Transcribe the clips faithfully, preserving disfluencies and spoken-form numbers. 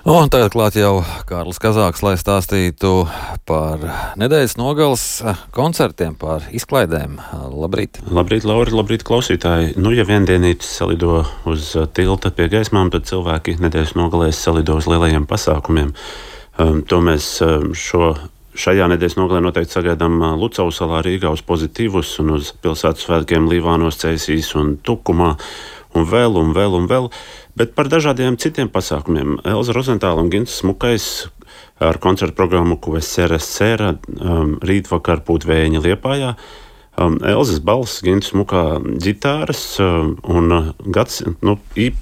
Un tagad klāt jau Kārlis Kazāks, lai stāstītu par nedēļas nogales koncertiem, par izklaidēm. Labrīt! Labrīt, Lauri, labrīt, klausītāji! Nu, ja viendienītis salido uz tilta pie gaismām, tad cilvēki nedēļas nogalēs salido uz lielajiem pasākumiem. Um, to mēs šo, šajā nedēļas nogalē noteikti sagaidām Lucavas salā, Rīgā uz Pozitīvus un uz pilsētas svētkiem Līvānos, Ceisīs un Tukumā. Un vēl, un vēl, un vēl, bet par dažādiem citiem pasākumiem. Elza Rozentāla un Gints Smukais ar koncertu programmu Kuvesera Sera um, rītvakar Pūtvējiņa Liepājā. Um, Elzas balss, Gints Smukā ģitāras um, un gads, nu,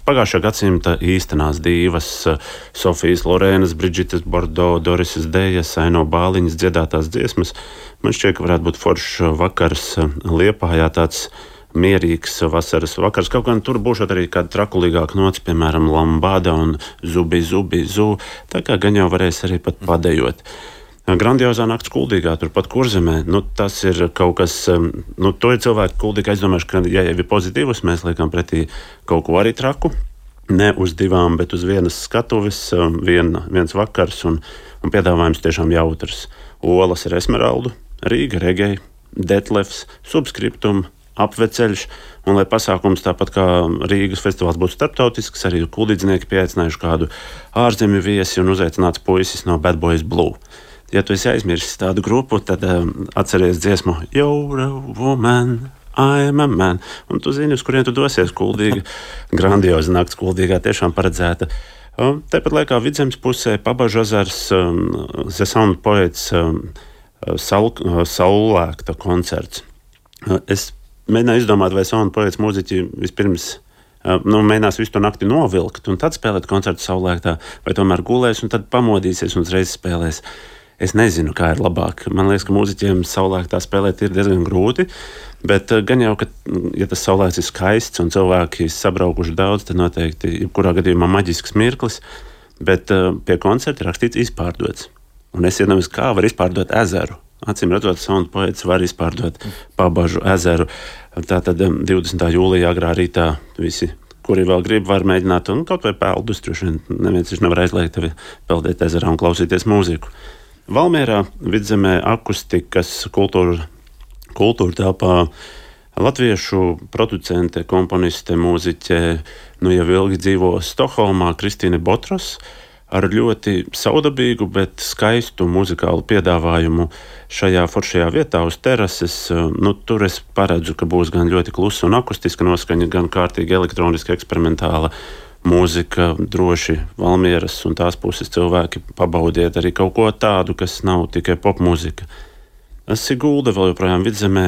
pagājušā gadsimta īstenās dīvas uh, Sofijas Lorēnas, Bridžitas Bordo, Dorisas Dejas, Aino Bāliņas dziedātās dziesmas. Man šķiet, ka varētu būt foršs vakars uh, Liepājā, tāds mierīgs vasaras vakars. Kaut gan tur būšot arī kāda trakulīgāka nots, piemēram, Lambada un Zubi, Zubi, Zu. Tā kā gan jau varēs arī pat padejot. Grandiozā nakts Kuldīgā, turpat Kurzemē. Nu, tas ir kaut kas, nu, to ir cilvēki Kuldīgā, es domāju, ka, ja jau ir pozitīvs, mēs liekam pretī kaut ko arī traku. Ne uz divām, bet uz vienas skatuves, vien, viens vakars un, un piedāvājums tiešām jautrs. Olas ar Esmeraldu, Rīga, Regei, Detlefs, Subskriptum, Apveceļš, un lai pasākums tāpat kā Rīgas festivāls būtu starptautisks, arī kuldīdznieki pieaicinājuši kādu ārzemju viesi un uzaicināts puisis no Bad Boys Blue. Ja tu esi aizmirsis tādu grupu, tad um, atceries dziesmu You're a woman, I'm a man, un tu zini, uz kurien tu dosies. Kuldīga, grandioza nakts Kuldīgā tiešām paredzēta. Um, Tāpat laikā Vidzemes pusē Pabažu ezers, um, The Sound Poets, um, saul, uh, saulēkta koncerts. Uh, es mēģināju izdomāt, vai Sound Poets mūziķi vispirms uh, nu, mēģinās visu to nakti novilkt un tad spēlēt koncertu saulēktā, vai tomēr gulēs un tad pamodīsies un uzreiz spēlēs. Es nezinu, kā ir labāk. Man liekas, ka mūziķiem saulēktā spēlēt ir diezgan grūti, bet uh, gan jau, ka, ja tas saulēkts ir skaists un cilvēki sabraukuši daudz, tad noteikti jebkurā gadījumā maģisks mirklis, bet uh, pie koncerta rakstīts izpārdots. Un es iedomājos, kā var izpārdot ezeru. Acīm redzot, Sound Poets var izpārdot Pabažu ezeru. Tātad divdesmitā jūlijā agrā rītā visi, kuri vēl grib, var mēģināt, un kaut vai peldus, droši vien neviens viņš nevar aizliegt tevi peldēt ezerā un klausīties mūziku. Valmierā, Vidzemē, akustikas kultūra, kultūra telpā latviešu producente, komponiste, mūziķe, nu jau ilgi dzīvo Stokholmā, Kristīne Botros, ar ļoti saudabīgu, bet skaistu muzikālu piedāvājumu šajā foršajā vietā uz terases. Nu, tur es paredzu, ka būs gan ļoti klusa un akustiska noskaņa, gan kārtīgi elektroniska eksperimentāla mūzika, droši Valmieras un tās puses cilvēki pabaudiet arī kaut ko tādu, kas nav tikai popmūzika. Sigulda vēl joprojām Vidzemē,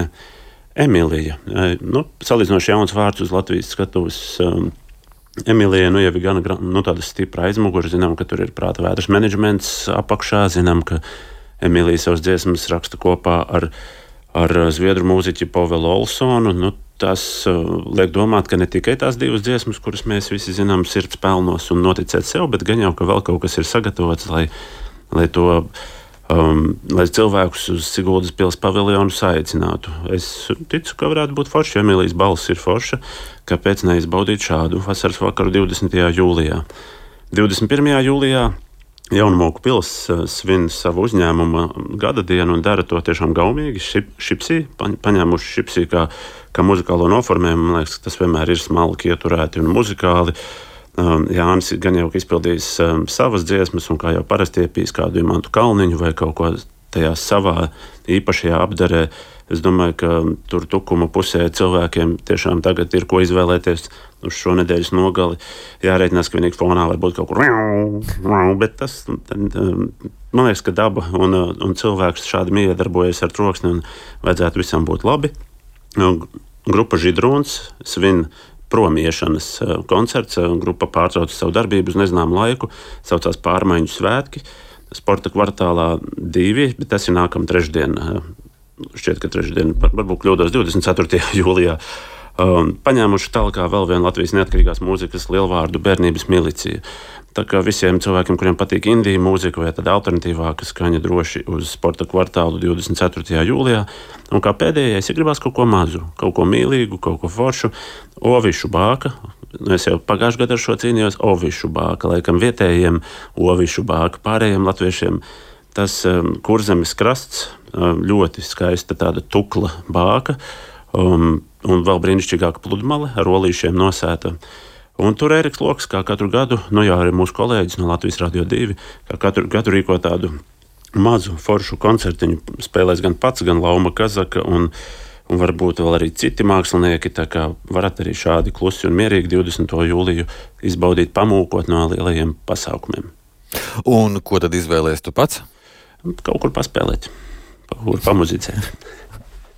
Emīlija. Nu, salīdzinoši jauns vārds uz Latvijas skatuves. Emīlija nu, jau ir gan nu, tāda stipra aizmugure. Zinām, ka tur ir prāta vētras menedžments apakšā. Zinām, ka Emīlija savas dziesmas raksta kopā ar, ar zviedru mūziķi Povelu Olsonu. Nu, tas uh, liek domāt, ka ne tikai tās divas dziesmas, kuras mēs visi zinām, sirds pelnos un noticēt sev, bet gan jau, ka vēl kaut kas ir sagatavots, lai, lai to Um, lai cilvēkus uz Siguldas pils paviljonu saicinātu. Es ticu, ka varētu būt forši, ja Emīlijas balss ir forša, kāpēc neizbaudīt šādu vasaras vakaru divdesmitajā jūlijā. divdesmit pirmajā jūlijā Jaunmoku pils svin savu uzņēmuma gada dienu un dara to tiešām gaumīgi. Šip, šipsī, paņēmuši šipsī kā, kā muzikālo noformējumu. Man liekas, ka tas vienmēr ir smalki ieturēti un muzikāli. Um, Jānis gan jau izpildījis um, savas dziesmas, un kā jau parasti iepīs kādu Imantu Kalniņu vai kaut ko tajā savā īpašajā apdarē. Es domāju, ka tur Tukuma pusē cilvēkiem tiešām tagad ir ko izvēlēties uz šo nedēļas nogali. Jārēķinās, ka vienīgi fonā var būt kaut kur, bet tas, tad, um, man liekas, ka daba un, un cilvēks šādi miedarbojas ar troksni un vajadzētu visam būt labi. Grupa Židrūns svin promiešanas koncerts. Grupa pārtrauca savu darbību uz nezināmu laiku, saucās Pārmaiņu svētki. Sporta kvartālā divi, bet tas ir nākamā trešdiena. Šķiet, ka trešdiena, varbūt kļūdos divdesmit ceturtajā jūlijā. Um, paņēmuši tālāk vēl vienu Latvijas neatkarīgās mūzikas lielvārdu Bērnības milicija. Tā kā visiem cilvēkiem, kuriem patīk indija mūzika vai tāda alternatīvāka skaņa, droši uz Sporta kvartālu divdesmit ceturtajā jūlijā. Un kā pēdējais, ja gribās kaut ko mazu, kaut ko mīlīgu, kaut ko foršu, Ovišu bāka. Es jau pagājušajā gadā ar šo cīnījos. Ovišu bāka, laikam vietējiem Ovišu bāka, pārējiem latviešiem. Tas um, Kurzemes krasts, um, ļoti skaista tāda tukla bāka, um, un vēl brīnišķīgāka pludmale ar olīšiem nosēta. Un tur Ēriks Loks, kā katru gadu, nu jā, arī mūsu kolēģis no Latvijas Radio divi, kā katru gadu rīko tādu mazu foršu koncertiņu, spēlēs gan pats, gan Lauma Kazaka, un, un varbūt vēl arī citi mākslinieki, tā kā varat arī šādi klusi un mierīgi divdesmito jūliju izbaudīt, pamūkot no lielajiem pasākumiem. Un ko tad izvēlēs tu pats? Kaut kur paspēlēt, kaut kur pamuzicēt.